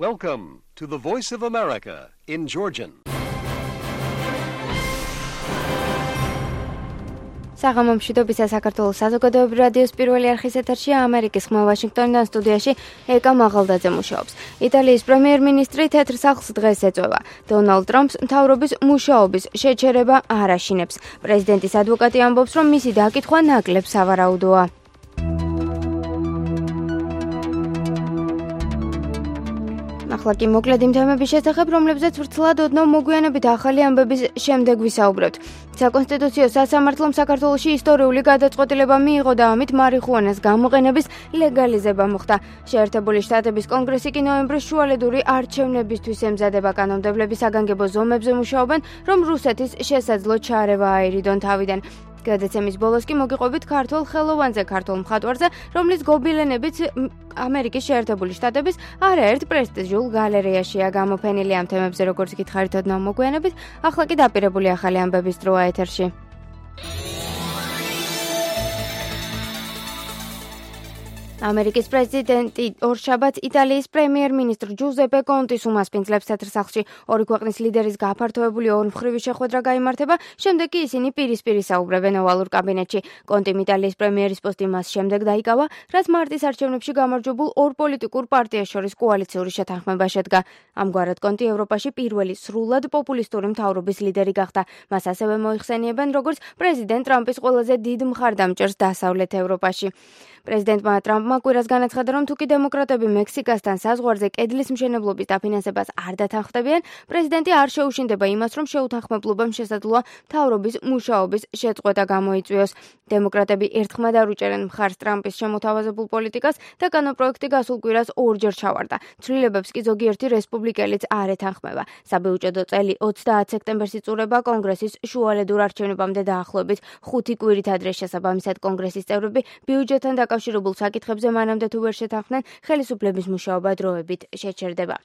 Welcome to the Voice of America in Georgian. საღამომშვიდობისა საქართველოს საზოგადოებრივი რადიოს პირველი არხის ეთერშია ამერიკის ხმა ვაშინგტონიდან სტუდიაში ეკა მაღალდაძე მუშაობს. იტალიის პრემიერ-მინისტრი თეთრ სახლს დღეს ეწვევა. დონალდ ტრამპს მთავრობის მუშაობის შეჩერება არ აშინებს. პრეზიდენტის ადვოკატი ამბობს, რომ მისი დაკითხვა ნაკლებ სავარაუდოა. ახლა კი მოკლედ იმ თემების შესახებ, რომლებზეც ვრცლად ოდნავ მოგვიანებით ახალი ამბების შემდეგ ვისაუბრებთ. საკონსტიტუციო სასამართლომ საქართველოში ისტორიული გადაწყვეტილება მიიღო და ამით მარიხუანას გამოყენების ლეგალიზება მოხდა. შეერთებული შტატების კონგრესი კი ნოემბრის შუალედური არჩევნებისთვის ემზადება. კანონმდებლები საგანგებო ზომებზე მუშაობენ, რომ რუსეთის შესაძლო ჩარევა აერიდონ თავიდან. გადაცემის ბოლოს კი მოგიყვებით ქართულ ხელოვანზე, ქართულ მხატვარზე, რომლის გობილენებიც ამერიკის შეერთებული შტატების არაერთ პრესტიჟულ გალერეაშია გამოფენილი. ამ თემებზე როგორც გითხარით ოდნავ მოგვიანებით, ახლა კი დაპირებული ახალი ამბების დროა ეთერში. ამერიკის პრეზიდენტი ორშაბათს იტალიის პრემიერ-მინისტრ ჯუზეპე კონტის უმასპინძლებს თეთრ სახლში. ორი ქვეყნის ლიდერის გაფართოებული ორმხრივი შეხვედრა გაიმართება, შემდეგ კი ისინი პირისპირ ისაუბრებენ ოვალურ კაბინეტში. კონტიმ იტალიის პრემიერის პოსტი მას შემდეგ დაიკავა, რაც მარტის არჩევნებში გამარჯვებულ ორ პოლიტიკურ პარტიას შორის კოალიციური შეთანხმება შედგა. ამგვარად კონტი ევროპაში პირველი სრულად პოპულისტური მთავრობის ლიდერი გახდა. მას ასევე მოიხსენიებენ როგორც პრეზიდენტ ტრამპის ყველაზე დიდ მხარდამჭერს დასავლეთ ევროპაში. პრეზიდენტმა ტრამპმა კვირას განაცხადა, რომ თუკი დემოკრატები მექსიკასთან საზღვარზე კედლის მშენებლობის დაფინანსებას არ დათანხმდებიან, პრეზიდენტი არ შეუშინდება იმას, რომ შეუთანხმებლობამ შესაძლოა მთავრობის მუშაობის შეწყვეტა გამოიწვიოს. დემოკრატები ერთხმად არ უჭერენ მხარს ტრამპის შემოთავაზებულ პოლიტიკას და კანონპროექტი გასულ კვირას ორჯერ ჩავარდა. ცვლილებებს კი ზოგიერთი რესპუბლიკელიც არ ეთანხმება. საბიუჯეტო წელი 30 სექტემბერს იწურება კონგრესის შუალედურ არჩევნებამდე დაახლოებით 5 კვირით ადრე. შესაბამისად კონგრესის წევრები ბიუჯეტთან დაკავშირებულ საკითხებზე მანამდე თუ ვერ შეთანხმდნენ, ხელისუფლების მუშაობა დროებით შეჩერდება.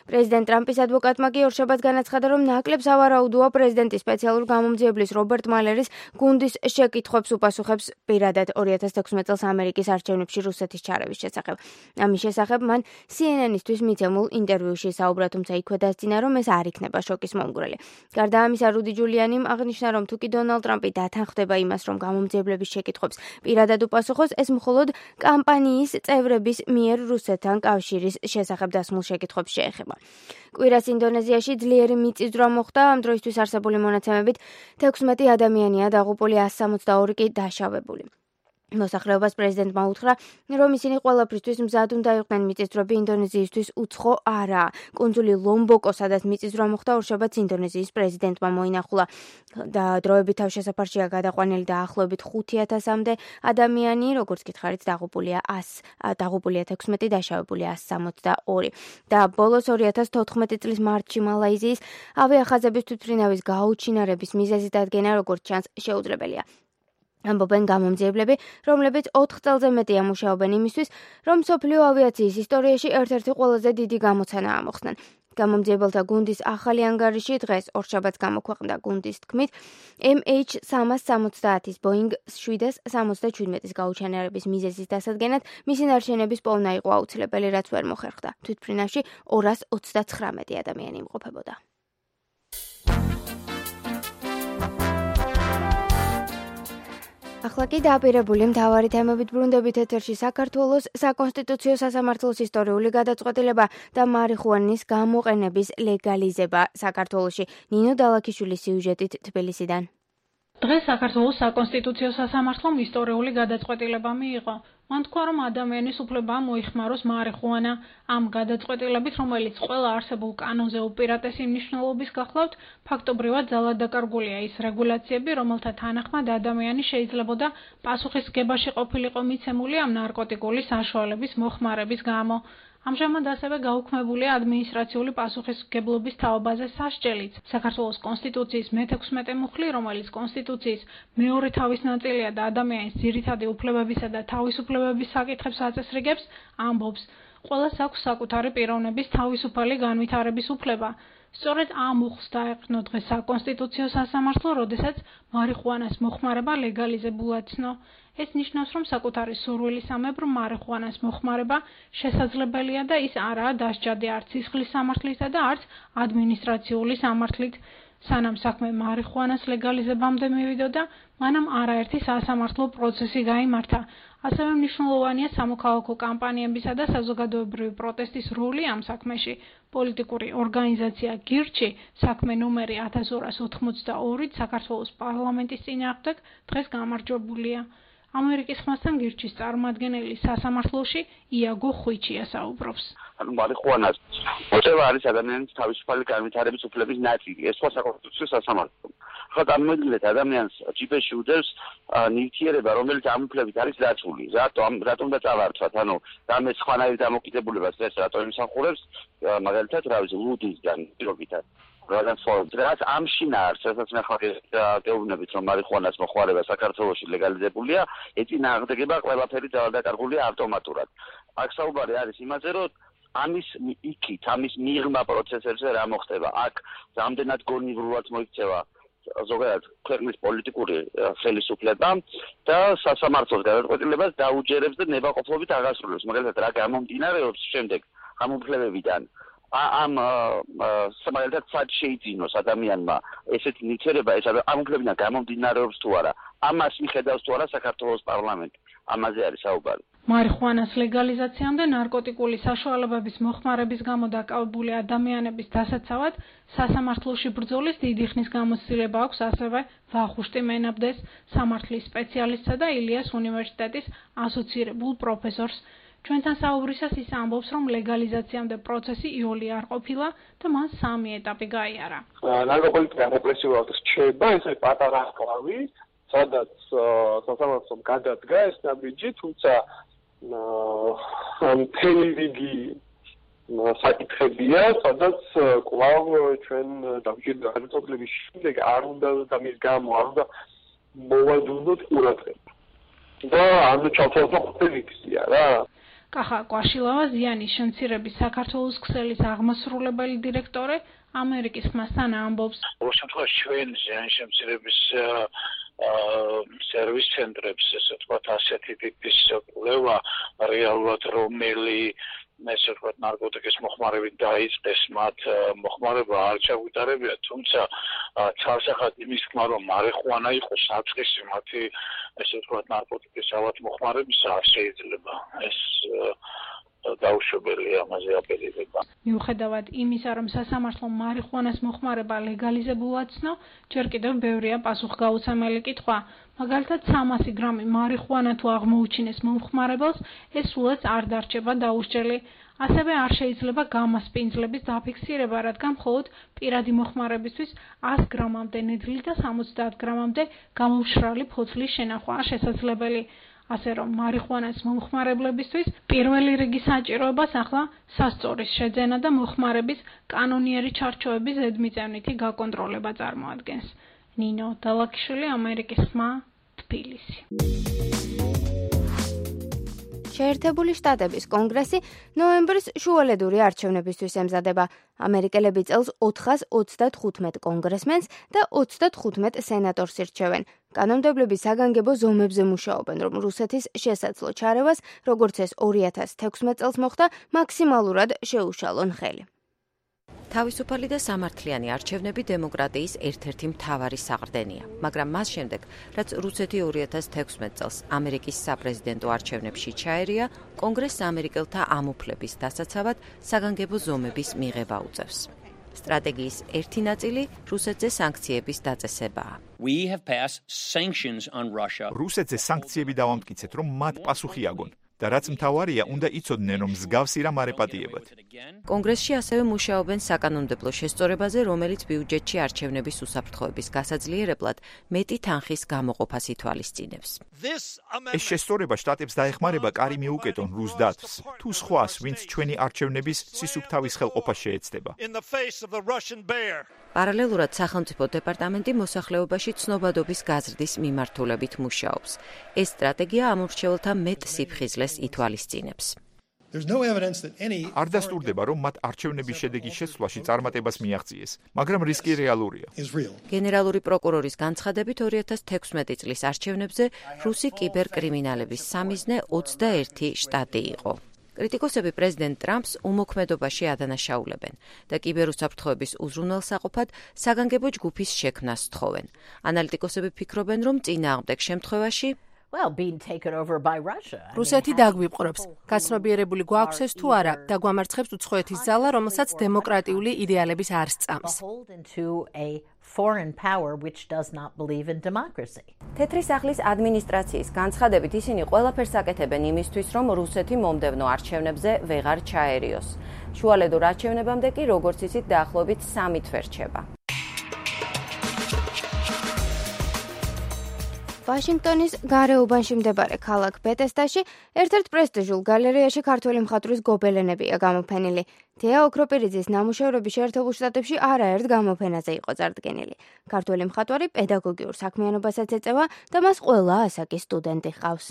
პრეზიდენტ ტრამპის ადვოკატმა კი ორშაბათს განაცხადა, რომ ნაკლებ სავარაუდოა პრეზიდენტის სპეციალურ გამომძიებლის რობერტ მალერის გუნდის შეკითხვებს უპასუხებს პირადად 2016 წელს ამერიკის არჩევნებში რუსეთის ჩარევის შესახებ. ამის შესახებ მან CNN-ისთვის მიცემულ ინტერვიუში საუბრა, თუმცა იქვე დასძინა, რომ ეს არ იქნება შოკის მომგვრელი. გარდა ამისა, რუდი ჯულიანიმ აღნიშნა, რომ თუკი დონალდ ტრამპი დათანხმდება იმას, რომ გამომძიებლების შეკითხვებს პირადად უპასუხოს, ეს მხოლოდ კამპანიის წევრების მიერ რუსეთთან კავშირის შესახებ დასმულ შეკითხვებს შეეხება. კვირას ინდონეზიაში ძლიერი მიწისძვრა მოხდა. ამ დროისთვის არსებული მონაცემებით 16 ადამიანია დაღუპული, 162 კი დაშავებული. მოსახლეობას პრეზიდენტმა უთხრა, რომ ისინი ყველაფრისთვის მზად უნდა იყვნენ. მიწისძვრები ინდონეზიისთვის უცხო არაა. კუნძული ლომბოკო, სადაც მიწისძვრა მოხდა, ორშაბათს ინდონეზიის პრეზიდენტმა მოინახულა და დროებით თავშესაფარშია გადაყვანილი დაახლოებით 5000-მდე ადამიანი, როგორც გითხარით, დაღუპულია 16, დაშავებულია 162. და ბოლოს 2014 წლის მარტში მალაიზიის ავიახაზების თვითმფრინავის გაუჩინარების მიზეზი დადგენა, როგორც ჩანს, შეუძლებელია. ამბობენ გამომძიებლები, რომლებიც 4 წელზე მეტია მუშაობენ იმისთვის, რომ მსოფლიო ავიაციის ისტორიაში ერთ-ერთი ყველაზე დიდი გამოცანაა მოხსნან. გამომძიებელთა გუნდის ახალი ანგარიში დღეს ორშაბათს გამოქვეყნდა. გუნდის თქმით, MH370-ის Boeing 777-ის გაუჩინარების მიზეზის დასადგენად მისი ნარჩენების პოვნა იყო აუცილებელი, რაც ვერ მოხერხდა. თვითმფრინავში 239 ადამიანი იმყოფებოდა. ახლა კი დაპირებული მთავარი თემებით ბრუნდებით ეთერში. საქართველოს საკონსტიტუციო სასამართლოს ისტორიული გადაწყვეტილება და მარიხუანის გამოყენების ლეგალიზება საქართველოში. ნინო დალაქიშვილის სიუჟეტით თბილისიდან. დღეს საქართველოს საკონსტიტუციო სასამართლომ ისტორიული გადაწყვეტილება მიიღო. მან თქვა, რომ ადამიანის უფლება მოიხმაროს მარიხუანა. ამ გადაწყვეტილებით, რომელიც ყველა არსებულ კანონზე უპირატესი მნიშვნელობის გახლავთ, ფაქტობრივად ძალად დაკარგულია ის რეგულაციები, რომელთა თანახმად ადამიანი შეიძლებოდა პასუხისმგებაში ყოფილიყო მიცემული ამ ნარკოტიკული საშუალების მოხმარების გამო. ამჟამად ასევე გაუქმებულია ადმინისტრაციული პასუხისმგებლობის თაობაზე სასჯელიც. საქართველოს კონსტიტუციის მე-16 მუხლი, რომელიც კონსტიტუციის მეორე თავის ნაწილია და ადამიანის ძირითადი უფლებებისა და თავისუფლებების საკითხებს აწესრიგებს, ამბობს, ყველას აქვს საკუთარი პიროვნების თავისუფალი განვითარების უფლება. სწორედ ამ უხს დაეყრდნო დღეს საკონსტიტუციო სასამართლო, როდესაც მარიხუანას მოხმარება ლეგალიზებულად ცნო. ეს ნიშნავს, რომ საკუთარი სურვილისამებრ მარიხუანას მოხმარება შესაძლებელია და ის არაა დასჯადი არც სისხლის სამართლისა და არც ადმინისტრაციული სამართლით. სანამ საქმე მარიხუანას ლეგალიზებამდე მივიდოდა, მანამ არაერთი სასამართლო პროცესი გაიმართა. ასევე მნიშვნელოვანია სამოქალაქო კამპანიებისა და საზოგადოებრივი პროტესტის როლი ამ საქმეში. პოლიტიკური ორგანიზაცია გირჩი საქმე ნომერი 1282 საქართველოს პარლამენტის წინააღმდეგ დღეს გამარჯვებულია. ამერიკის ხმასთან გირჩის წარმომადგენელი სასამართლოში იაგო ხვიჩია საუბრობს. მარიხუანას მოწევა არის ადამიანის თავისუფალი განვითარების უფლების ნაწილი. ეს სხვა საკონსტიტუციო სასამართლო. ხო, წარმოიდგინეთ, ადამიანს ჯიპეში უდევს ნივთიერება, რომელიც ამ უფლებით არის დაცული. რატომ და წავარცვათ? ანუ რამე სხვანაირ დამოკიდებულებას ეს რატომ იმსახურებს, მაგალითად, რა ვიცი, ლუდისგან პირობითად. რაც ამშინ არის, რასაც მე ხარ გეუბნებით, რომ მარიხუანას მოხმარება საქართველოში ლეგალიზებულია, ეწინააღმდეგება ყველაფერი დაკარგულია ავტომატურად. აქ საუბარი არის იმაზე, რომ ამის იქით, ამის მიღმა პროცესებზე რა მოხდება. აქ რამდენად გონივრულად მოიქცევა ზოგადად ქვეყნის პოლიტიკური ხელისუფლება და სასამართლოს გადაწყვეტილებას დაუჯერებს და ნებაყოფლობით აღასრულებს. მაგალითად, რა გამომდინარეობს შემდეგ ამ უფლებებიდან. ამ მაგალითად სად შეიძინოს ადამიანმა ესეთი ნივთიერება, ეს ამ უფლებიდან გამომდინარეობს თუ არა. ამას მიხედავს თუ არა საქართველოს პარლამენტი. ამაზე არის საუბარი. მარიხუანას ლეგალიზაციამდე ნარკოტიკული საშუალებების მოხმარების გამო დაკავებული ადამიანების დასაცავად სასამართლოში ბრძოლის დიდი ხნის გამოცდილება აქვს ასევე ვახუშტი მენაბდეს, სამართლის სპეციალისტსა და ილიას უნივერსიტეტის ასოცირებულ პროფესორს. ჩვენთან საუბრისას ის ამბობს, რომ ლეგალიზაციამდე პროცესი იოლი არ ყოფილა და მან 3 ეტაპი გაიარა. ნარკოპოლიტიკა რეპრესიულად რჩება, ეს პატარა კლავი, სადაც სასამართლომ გადადგა ეს ნაბიჯი, თუმცა მთელი რიგი საკითხებია, სადაც კვლავ ჩვენ დამჭირდა გადაწყვეტილების შემდეგ არ უნდა და მის გამო არ უნდა მოვაძუნოთ ყურადღება. და ანუ ჩავთვალოთ რა. კახა კვაშილავა ზიანის შემცირების საქართველოს ქსელის აღმასრულებელი დირექტორი ამერიკის ხმასთან ამბობს. ყოველ შემთხვევაში ჩვენ ზიანის შემცირების სერვის ცენტრებს, ესე ვთქვათ, ასეთი ტიპის კვლევა რეალურად რომელი ესე ვთქვათ ნარკოტიკის მოხმარებით დაიწყეს მათ მოხმარება არ ჩაგვიტარებია, თუმცა ცალსახად იმის თქმა, რომ მარიხუანა იყო საწყისი მათი ესე ვთქვათ ნარკოტიკის ავად მოხმარებისა არ შეიძლება. ეს დაუშვებელი ამაზე აპელირება. მიუხედავად იმისა, რომ სასამართლომ მარიხუანას მოხმარება ლეგალიზებულად ცნო, ჯერ კიდევ ბევრია პასუხგაუცემელი კითხვა. მაგალითად 300 გრამი მარიხუანა თუ აღმოუჩინეს მომხმარებელს, ეს სულაც არ დარჩება დაუსჯელი. ასევე არ შეიძლება გამასპინძლების დაფიქსირება, რადგან მხოლოდ პირადი მოხმარებისთვის 100 გრამამდე ნედლი და 70 გრამამდე გამოუშრალი ფოთლის შენახვაა შესაძლებელი. ასე რომ მარიხუანას მომხმარებლებისთვის პირველი რიგის საჭიროებას ახლა სასწორის შეძენა და მოხმარების კანონიერი ჩარჩოების ზედმიწევნითი გაკონტროლება წარმოადგენს. ნინო დალაკიშვილი, ამერიკის ხმა, თბილისი. შეერთებული შტატების კონგრესი ნოემბრის შუალედური არჩევნებისთვის ემზადება. ამერიკელები წელს 435 კონგრესმენს და 35 სენატორს ირჩევენ. კანონმდებლები საგანგებო ზომებზე მუშაობენ, რომ რუსეთის შესაძლო ჩარევას, როგორც ეს 2016 წელს მოხდა, მაქსიმალურად შეუშალონ ხელი. თავისუფალი და სამართლიანი არჩევნები დემოკრატიის ერთ-ერთი მთავარი საყრდენია, მაგრამ მას შემდეგ, რაც რუსეთი 2016 წელს ამერიკის საპრეზიდენტო არჩევნებში ჩაერია, კონგრესს ამერიკელთა ამ უფლების დასაცავად საგანგებო ზომების მიღება უწევს. სტრატეგიის ერთი ნაწილი რუსეთზე სანქციების დაწესებაა. რუსეთზე სანქციები დავამტკიცეთ, რომ მათ პასუხი აგონ. და რაც მთავარია, უნდა იცოდნენ, რომ მსგავსი რამ არ ეპატიებათ. კონგრესში ასევე მუშაობენ საკანონმდებლო შესწორებაზე, რომელიც ბიუჯეტში არჩევნების უსაფრთხოების გასაძლიერებლად მეტი თანხის გამოყოფას ითვალისწინებს. ეს შესწორება შტატებს დაეხმარება კარი მიუკეტონ რუს დათვს, თუ სხვას, ვინც ჩვენი არჩევნების სისუფთავის ხელყოფას შეეცდება. პარალელურად სახელმწიფო დეპარტამენტი მოსახლეობაში ცნობადობის გაზრდის მიმართულებით მუშაობს. ეს სტრატეგია ამ ურჩეველთა მეტ სიფხიზლეს ითვალისწინებს. არ დასტურდება, რომ მათ არჩევნების შედეგის შეცვლაში წარმატებას მიაღწიეს, მაგრამ რისკი რეალურია. გენერალური პროკურორის განცხადებით 2016 წლის არჩევნებზე რუსი კიბერკრიმინალების სამიზნე 21 შტატი იყო. კრიტიკოსები პრეზიდენტ ტრამპს უმოქმედობაში ადანაშაულებენ და კიბერუსაფრთხოების უზრუნველსაყოფად საგანგებო ჯგუფის შექმნას თხოვენ. ანალიტიკოსები ფიქრობენ, რომ წინააღმდეგ შემთხვევაში რუსეთი დაგვიპყრობს. გაცნობიერებული გვაქვს ეს თუ არა და გვამარცხებს უცხოეთის ზალა, რომელსაც დემოკრატიული იდეალების არ სწამს. თეთრი სახლის ადმინისტრაციის განცხადებით ისინი ყველაფერს აკეთებენ იმისთვის, რომ რუსეთი მომდევნო არჩევნებზე ვეღარ ჩაერიოს. შუალედურ არჩევნებამდე კი, როგორც იცით, დაახლოებით 3 თვე რჩება. ვაშინგტონის გარეუბანში მდებარე ქალაქ ბეთესდაში ერთ-ერთ პრესტიჟულ გალერეაში ქართველი მხატვრის გობელენებია გამოფენილი. თეა ოქროპირიძის ნამუშევრები შეერთებულ შტატებში არაერთ გამოფენაზე იყო წარდგენილი. ქართველი მხატვარი პედაგოგიურ საქმიანობასაც ეწევა და მას ყველა ასაკის სტუდენტი ჰყავს.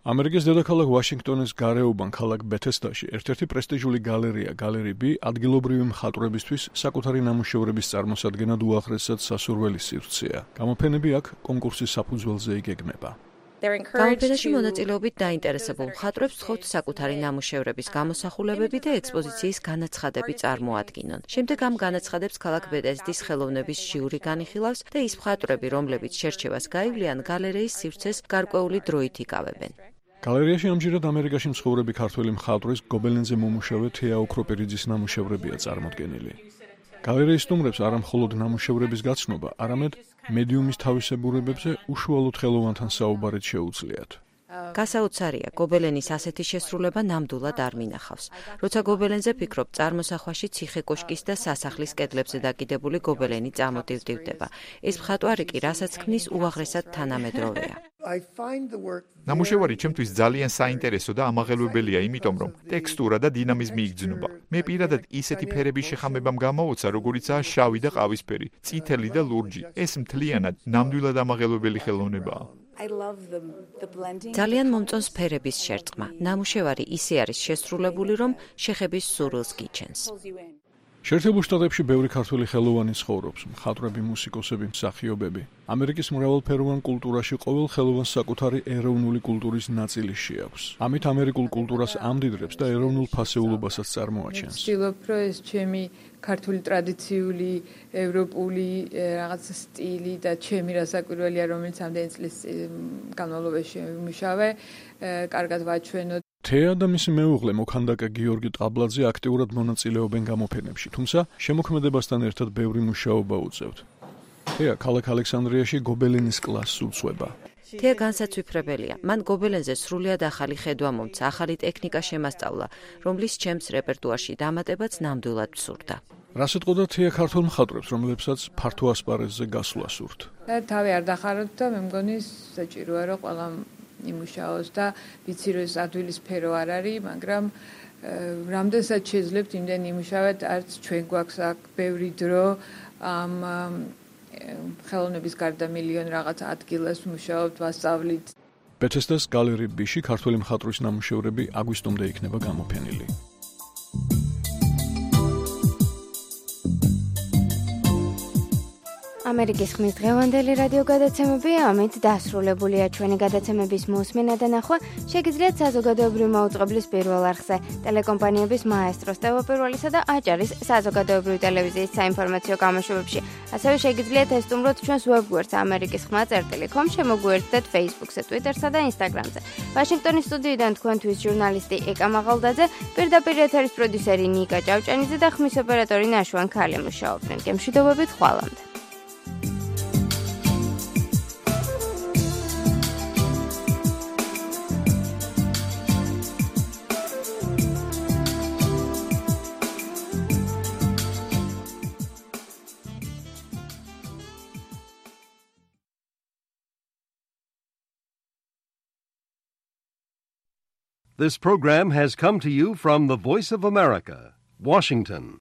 ამერიკის დედაქალაქ ვაშინგტონის გარეუბან ქალაქ ბეთესდაში ერთ-ერთი პრესტიჟული გალერეა გალერი B ადგილობრივი მხატვრებისთვის საკუთარი ნამუშევრების წარმოსადგენად უაღრესად სასურველი სივრცეა. გამოფენები აქ კონკურსის საფუძველზე იგეგმება. გამოფენაში მონაწილეობით დაინტერესებულ მხატვრებს სთხოვთ საკუთარი ნამუშევრების გამოსახულებები და ექსპოზიციის განაცხადები წარმოადგინონ. შემდეგ ამ განაცხადებს ქალაქ ბეთესდის ხელოვნების ჟიური განიხილავს და ის მხატვრები, რომლებიც შერჩევას გაივლიან, გალერეის სივრცეს გარკვეული დროით იკავებენ. გალერეაში ამჯერად ამერიკაში მცხოვრები ქართველი მხატვრის გობელენზე მომუშავე თეა ოქროპირიძის ნამუშევრებია წარმოდგენილი. გალერეის სტუმრებს არა მხოლოდ ნამუშევრების გაცნობა, არამედ მედიუმის თავისებურებებზე უშუალოდ ხელოვანთან საუბარით შეუძლიათ. გასაოცარია, გობელენის ასეთი შესრულება ნამდვილად არ მინახავს. როცა გობელენზე ფიქრობ, წარმოსახვაში ციხე-კოშკის და სასახლის კედლებზე დაკიდებული გობელენი წამოტივტივდება. ეს მხატვარი კი, რასაც ქმნის, უაღრესად თანამედროვეა. ნამუშევარი ჩემთვის ძალიან საინტერესო და ამაღელვებელია, იმიტომ რომ ტექსტურა და დინამიზმი იგრძნობა. მე პირადად ისეთი ფერების შეხამებამ გამოვოცა, როგორიცაა შავი და ყავისფერი, წითელი და ლურჯი. ეს მთლიანად ნამდვილად ამაღელვებელი ხელოვნებაა. ძალიან მომწონს ფერების შერწყმა. ნამუშევარი ისე არის შესრულებული, რომ შეხების სურვილს გიჩენს. შეერთებულ შტატებში ბევრი ქართველი ხელოვანი ცხოვრობს, მხატვრები, მუსიკოსები, მსახიობები. ამერიკის მრავალფეროვან კულტურაში ყოველ ხელოვანს საკუთარი ეროვნული კულტურის ნაწილი შეაქვს. ამით ამერიკულ კულტურას ამდიდრებს და ეროვნულ ფასეულობასაც წარმოაჩენს. ვცდილობ, რომ ეს ჩემი ქართული ტრადიციული, ევროპული რაღაც სტილი და ჩემი რასაკვირველია, რომელიც ამდენი წლის განმავლობაში ვიმუშავე, კარგად ვაჩვენოთ. თეა და მისი მეუღლე მოქანდაკე გიორგი ტაბლაძე აქტიურად მონაწილეობენ გამოფენებში, თუმცა შემოქმედებასთან ერთად ბევრი მუშაობა უწევთ. თეა ქალაქ ალექსანდრიაში გობელენის კლასს უწვება. თეა განსაცვიფრებელია. მან გობელენზე სრულიად ახალი ხედვა მომცა, ახალი ტექნიკა შემასწავლა, რომლის ჩემს რეპერტუარში დამატებაც ნამდვილად ვსურდა. რას ეთყოდა თეა ქართულ მხატვრებს, რომლებსაც ფართო ასპარეზზე გასვლა სურთ? თავი არ დახაროთ და მე მგონი საჭიროა, რომ ყველა იმუშაოს და ვიცი რომ ეს ადვილი სფერო არ არის, მაგრამ რამდენსაც შეძლებთ იმდენ იმუშავეთ, არც ჩვენ გვაქვს აქ ბევრი დრო ამ ხელოვნების გარდა მილიონი რაღაც ადგილას მუშაობთ, ვასწავლით. ბეთესდას გალერი B-ში ქართველი მხატვრის ნამუშევრები აგვისტომდე იქნება გამოფენილი. ამერიკის ხმის დღევანდელი რადიო გადაცემები ამით დასრულებულია. ჩვენი გადაცემების მოსმენა და ნახვა შეგიძლიათ საზოგადოებრივი მაუწყებლის პირველ არხზე, ტელეკომპანიების მაესტროს, ტელეპირველისა და აჭარის საზოგადოებრივი ტელევიზიის საინფორმაციო გამოშვებებში. ასევე შეგიძლიათ ესტუმროთ ჩვენს ვებგვერდს amerikisxma.com, შემოგვიერთდეთ Facebook-ზე, Twitter-სა და Instagram-ზე. ვაშინგტონის სტუდიიდან თქვენთვის ჟურნალისტი ეკა მაღალდაძე, პირდაპირ ეთერის პროდიუსერი ნიკა ჭავჭანიძე და ხმის ოპერატორი ნაშვან ქალი მუშაობდნენ. გემშვიდობებით ხვალამდე. This program has come to you from the Voice of America, Washington.